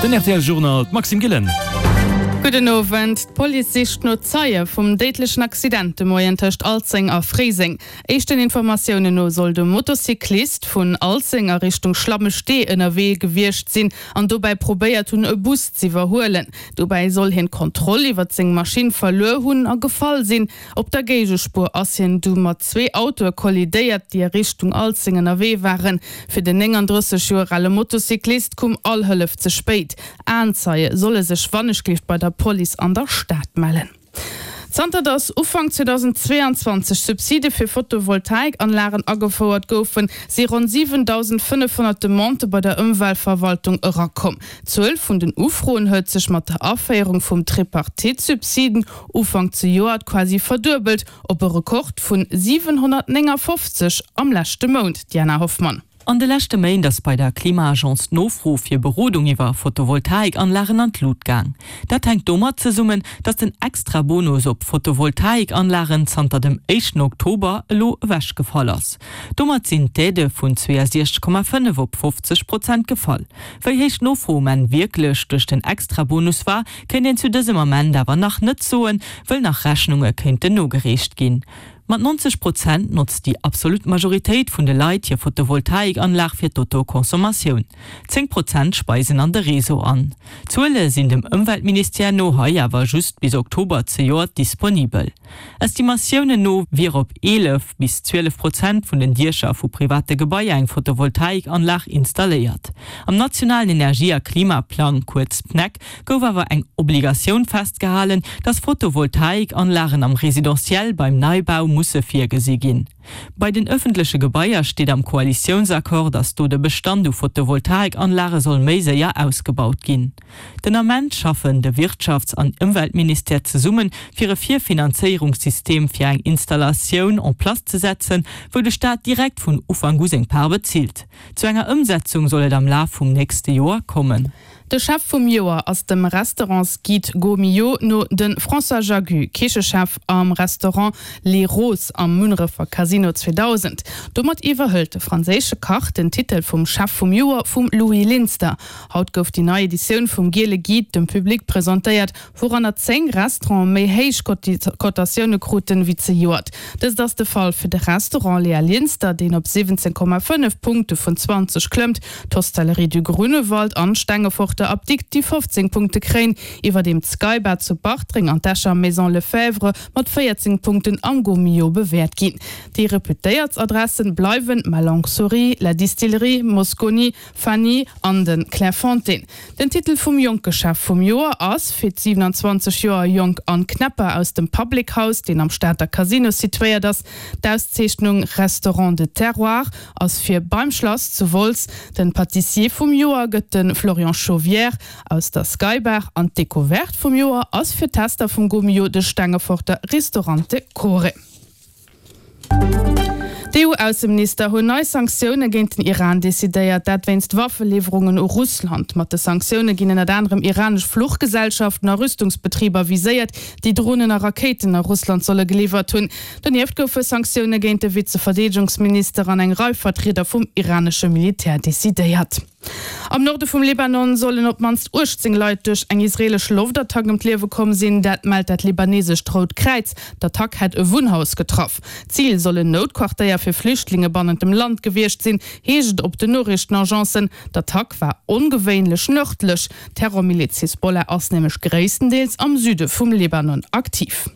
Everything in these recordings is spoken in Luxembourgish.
Den rtl Journal, d'Maxime Gillen. Gudden Owend. D'Police sicht no Zeie vum déidlechen Accident de Moien tëscht Alzeng a Fréiseng. Éischten Informatiounen no soll de Motocyclist vun Alzeng a Richtung Schlammestee ënnerwee gewiescht sinn an dobäi probéiert hunn e Bus z'iwwerhuelen. Dobäi soll hien d'Kontroll iwwert seng Maschinn verluer hunn a gefall sinn. Op der Géigespuer ass hien du mat zwee Autoe kollidéiert, déi a Richtung Alzeng ënnerwee waren. Fir den 39 Joer ale Motocyclist koum all Hëllef ze spéit. Aenzeie solle sech wannechgelift bei der Police an der Stad mellen. Zanter datt Ufank 2022 Subside fir Photovoltaikanlagen agefouert goufen, si ronn 7.500 Demandë bei der Ëmweltverwaltung erakomm. D'Zuel vun den Ufroen huet sech mat der Aféierung vum Tripartite-Subsiden Ufank zejoert quasi verduebelt op e Rekord vun 759 am leschte Mount, Diana Hoffmann. An de leschte Méint ass bei der Klima-Agence d'Nofro fir Berodung iwwer Photovoltaikanlagen an d'Lut gaang. Dat hänkt domat zesummen, datt den Extra-Bonus op Photovoltaikanlagen zanter dem éischten Oktober elo ewechgefall ass. Domat sinn d'Aidë vun 62,5 op 50 Prozent gefall. Wéi héich d'Nofro um Enn wierklech duerch den Extra-Bonus war, Kéint een zu dësem Ament awer nach net soen, wëll nach Rechnunge kéinten nogereecht ginn. Mat 90 Prozent notzt déi absolut Majoritéit vun de Leit hir Photovoltaikanlag fir d'Autoconsommation. 10 Prozent speisen an de Réseau an. D'Zuele sinn dem Ëmweltministère no hei awer just bis Oktober zejoert disponibel. Estimatiounen no wier op 11 bis 12 Prozent vun den Diecher vu private Gebaier eng Photovoltaikanlag installéiert. Am nationalen Energie a Klimaplang, kuerz PNEC, gouf awer eng Obligatioun festgehalen, dass Photovoltaikanlagen am Residentiel beim Neibau musse virgesi ginn. Bei den ëffentleche Gebaier steet am Koalitiounsaccord, dass do de Bestand u Photovoltaikanlage soll méi séier ausgebaut ginn. Den Ament schaffen de Wirtschafts an Ëmweltministère zesumme fir e Virfinanzéierungssystem fir eng Installatioun en place ze setzen, wou de Staat direkt vun Ufank u seng Part bezilt. Zu enger Ëmsetzung soll et am Laf vum nächste Joer kommen. De Chef vum Joer ass dem Restaurantsguide Gault Millau no de François Jagu, Kichechef am Restaurant Les Roses am Munnerefer Casino 2000. Domat iwwerhëlt de franséische Kach den Titel vum Chef vum Joer vum Louis Linster. Haut gouf déi nei Editioun vum Giele Guide dem Public presentéiert, wouranner 10 Restaurante méi héich Cotatioune kruten wéi zejoert. Dëst ass de Fall fir de Restaurant Léa Linster, deen op 17,5 Punkte vun 20 klëmmt, d'Hostellerie du Grunewald an d'Stengeforter Apdikt, déi 15 Punkte kréien, iwwerdeem d'Skybar zu Bartreng an d'Escher Maison Lefebvre mat 14 Punkten am Gault-Millau bewäert ginn. Déi reputéiertst Adressen bleiwen Ma Longue Souris, La Distillerie, Mosconi, Fanny an de Clairefontaine. Den Titel vum jonke Chef vum Joer ass fir d'27 Joer jonk Anne Knepper aus dem Public House, deen am Stater Casino situéiert ass. D'Auszeechnung Restaurant de Terroir ass fir Beim Schlass zu Wolz. Den Pâtissier vum Joer gëtt de Florian Chauvière aus der Skybar an d'Decouverte vum Joer ass fir d'Tester vum Gault-Millau de Stengeforter Ristorante Core. D'EU-Ausseminister hunn nei Sanktioune géint den Iran decidéiert, dat wéinst Waffeliwwerungen u Russland. Mat de Sanktioune ginn ënnert anerem iranesch Fluchgesellschaften a Rüstungsbetriber viséiert, déi Dronen a Rakéiten a Russland solle geliwwert hunn. Donieft goufe Sanktioune géint de Vize-Verdeedegungsminister an eng Rei Vertrieder vum iranesche Militär decidéiert. Am Norde vum Libanon sollen op d'mannst 18 Leit duerch eng israeelesch Loftattack ëm d'Liewe komm sinn. Dat mellt dat libanesescht Rout Kräiz. D'Attack hätt e Wunnhaus getraff. Zil soll en Noutquartéier fir Flüchtlinge bannent dem Land gewiescht sinn, heescht et op den Noriichtenagencen. D'Attack war ongewéinlech nërdlech. D'Terrormiliz Hisbollah ass nämlech gréisstendeels am Süde vum Libanon aktiv.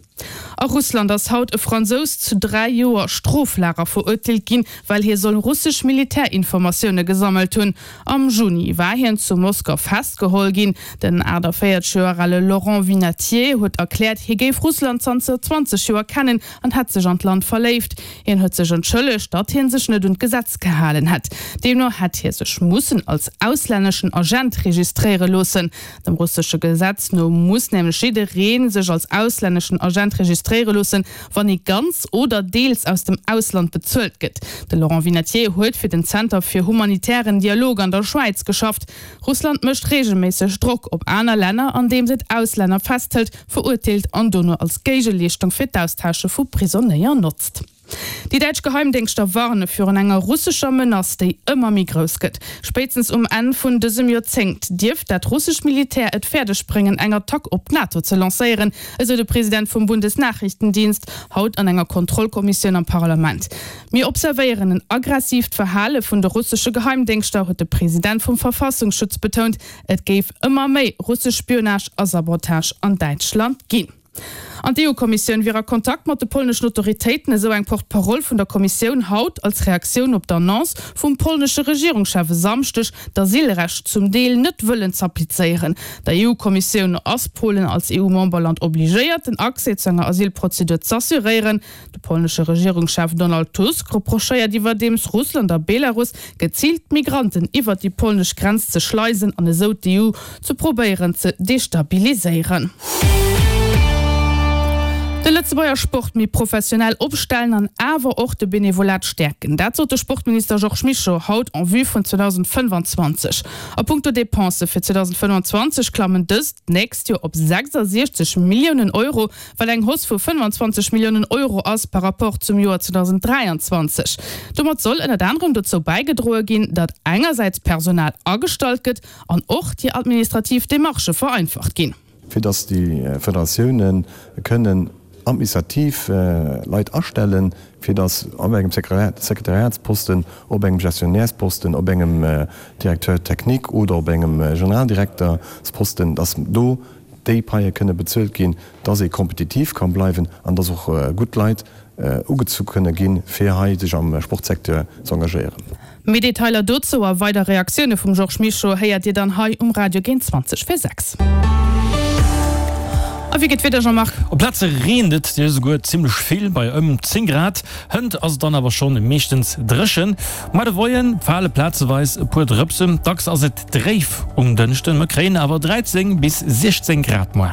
A Russland ass haut e Fransous zu 3 Joer Stroflager verurteelt ginn, well hie soll russesch Militärinformatioune gesammelt hunn. Am Juni war hien zu Moskau festgeholl ginn. Den 48 Joer ale Laurent Vinatier huet erkläert, hie géif Russland zanter 20 Joer kennen an hätt sech an d'Land verléift. Hien huet sech entschëllegt, datt hie sech net un d'Gesetz gehalen hätt. Deemno hätt hie sech mussen als auslänneschen Agent registréiere loossen. Dem russesche Gesetz no muss nämlech jidderee sech als auslänneschen Agent registréiere loossen, wann ee ganz oder deels aus dem Ausland bezuelt gëtt. De Laurent Vinatier huet fir den Zenter fir humanitären Dialog an der Schwäiz geschafft. Russland mécht reegelméisseg Drock op aner Länner, andeems et Auslänner festhëlt, verurteelt an dono als Géigeleeschtung fir d'Austausche vu Prisonéier notzt. Déi däitsch Geheimdéngschter warne virun enger russescher Menace, déi ëmmer méi grouss gëtt. Spéitstens um Enn vun dësem Joerzéngt dierft dat russescht Militär et fäerdeg bréngen, eng Attack op d'NATO ze lancéieren, esou de President vum Bundesnachrichtendienst haut an enger Kontrollkommissioun am Parlament. Mir observéieren en aggressiivt Verhale vun de russesche Geheimdéngschter, huet de President vum Verfassungsschutz betount. Et géif ëmmer méi russesch Spionage a Sabotage an Däitschland ginn. An d'EU-Kommissioun wier a Kontakt mat de polneschen Autoritéiten, esou eng Porte-parole vun der Kommissioun haut als Reaktioun op d'Annonce vum polnesche Regierungschef e Samschdeg, d'Asylrecht zum Deel net wëllen z'applizéieren. Der EU-Kommissioun no ass Polen als EU-Memberland obligéiert, den Accès zu enger Asylprozedur z'assuréieren. De polnesche Regierungschef Donald Tusk reprochéiert iwwerdeems Russland a Belarus, geziilt Migranten iwwert déi polnesch Grenz ze schleisen an esou d'EU ze probéieren ze destabiliséieren. De Lëtzebuerger Sport méi professionell opstellen an awer och de Benevolat stäerken, dat sot de Sportminister Georges Mischo haut en vue vun 2025. A punkto Depensë fir 2025 klammen dës d'nächst Joer op 66 Milliounen Euro, wat eng Hausse vu 25 Milliounen Euro ass par rapport zum Joer 2023. Domat soll ënnert anerem dozou bäigedroe ginn, datt engersäits Personal agestallt gëtt an och déi administrativ Demarchë vereinfacht ginn. Fir datt déi Federatioune kënnen administrativ Leit astellen, fir datt op engem Sekretariatsposten, op engem Gestionnairesposten, op engem Directeur technique oder op engem Generaldirektersposten, datt do déi Paie kënne bezuelt ginn, dass ee kompetitiv ka bleiwen an dass och gutt Leit ugezu kënne ginn, fir hei sech am Sportsecteur ze engagéieren. Méi Detailer dozou a weider Reaktioune vum Georges Mischo héiert Dir dann hei um Radio géint 20 vir 6. A wéi geet d'Wieder, Jean-Marc? Op Plaze reent et jo esouguer zimmlech vill, bei ëm 10 Grad. Hënt ass et dann awer schonn meeschtens dréchen. Muer de Moie fale plazeweis e puer Drëpsen, dacks ass et Dréif um Dënschden, mer kréien awer 13 bis 16 Grad moar.